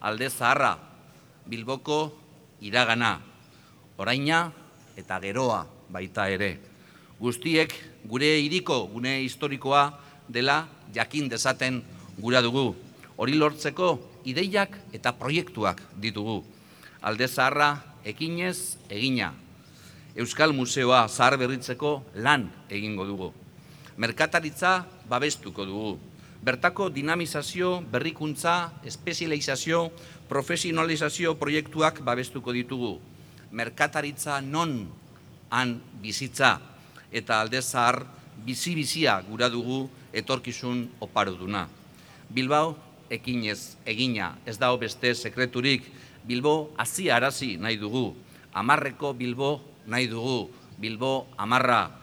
Alde Zaharra, Bilboko iragana, oraina eta geroa baita ere. Guztiek gure hiriko gune historikoa dela jakin dezaten gura dugu. Hori lortzeko ideiak eta proiektuak ditugu. Alde Zaharra ekinez egina. Euskal Museoa zaharberritzeko lan egingo dugu. Merkataritza babestuko dugu. Bertako dinamizazio, berrikuntza, espezializazio, profesionalizazio proiektuak babestuko ditugu. Merkataritza non han bizitza eta Alde Zahar bizi-bizia gura dugu etorkizun oparoduna. Bilbao ekinez egina, ez dago beste sekreturik. Bilbo hazi arazi nahi dugu. Hamarreko Bilbo nahi dugu. Bilbo hamarra.